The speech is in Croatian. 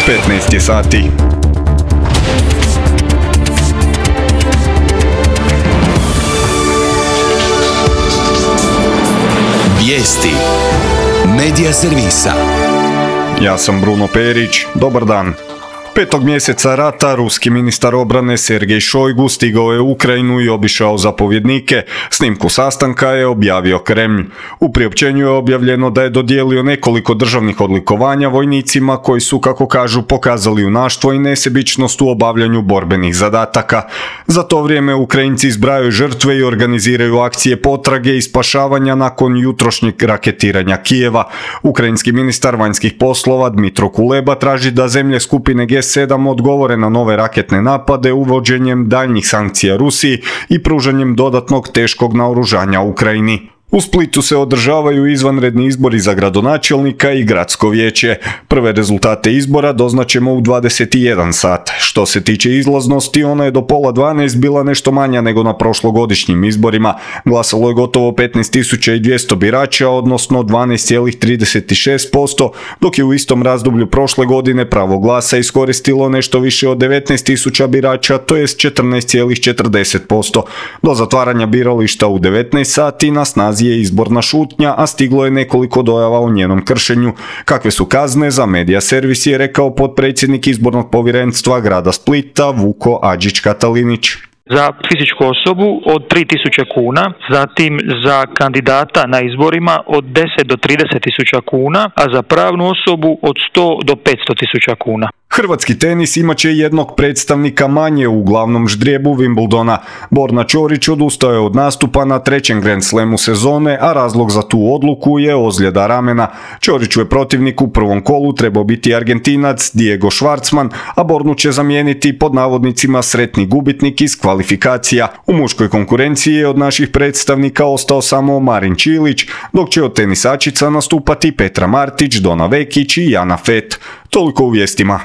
15 je sati. Vijesti Medija servisa. Ja sam Bruno Perić, dobar dan. 5. mjeseca rata ruski ministar obrane Sergej Šojgu stigao je u Ukrajinu i obišao zapovjednike. Snimku sastanka je objavio Kremlj. U priopćenju je objavljeno da je dodijelio nekoliko državnih odlikovanja vojnicima koji su, kako kažu, pokazali junaštvo i nesebičnost u obavljanju borbenih zadataka. Za to vrijeme Ukrajinci zbrajaju žrtve i organiziraju akcije potrage i spašavanja nakon jutrošnjeg raketiranja Kijeva. Ukrajinski ministar vanjskih poslova Dmitro Kuleba traži da zemlje skupine G7 odgovore na nove raketne napade uvođenjem daljnjih sankcija Rusiji i pružanjem dodatnog teškog naoružanja Ukrajini. U Splitu se održavaju izvanredni izbori za gradonačelnika i gradsko vijeće. Prve rezultate izbora doznaćemo u 21 sat. Što se tiče izlaznosti, ona je do pola 12 bila nešto manja nego na prošlogodišnjim izborima. Glasalo je gotovo 15.200 birača, odnosno 12,36%, dok je u istom razdoblju prošle godine pravo glasa iskoristilo nešto više od 19.000 birača, to jest 14,40%. Do zatvaranja birališta u 19 sati na snazi je izborna šutnja, a stiglo je nekoliko dojava o njenom kršenju. Kakve su kazne za Medija servis je rekao potpredsjednik izbornog povjerenstva grada Splita Vuko Adžić-Katalinić. Za fizičku osobu od 3.000 kuna, zatim za kandidata na izborima od 10 do 30.000 kuna, a za pravnu osobu od 100 do 500.000 kuna. Hrvatski tenis imat će jednog predstavnika manje u glavnom ždrijebu Wimbledona. Borna Ćorić odustao je od nastupa na trećem Grand Slamu sezone, a razlog za tu odluku je ozljeda ramena. Ćoriću je protivnik u prvom kolu trebao biti Argentinac Diego Schwartzman, a Bornu će zamijeniti pod navodnicima sretni gubitnik iz kvalifikacija. U muškoj konkurenciji je od naših predstavnika ostao samo Marin Čilić, dok će od tenisačica nastupati Petra Martić, Dona Vekić i Jana Fett. Toliko u vijestima.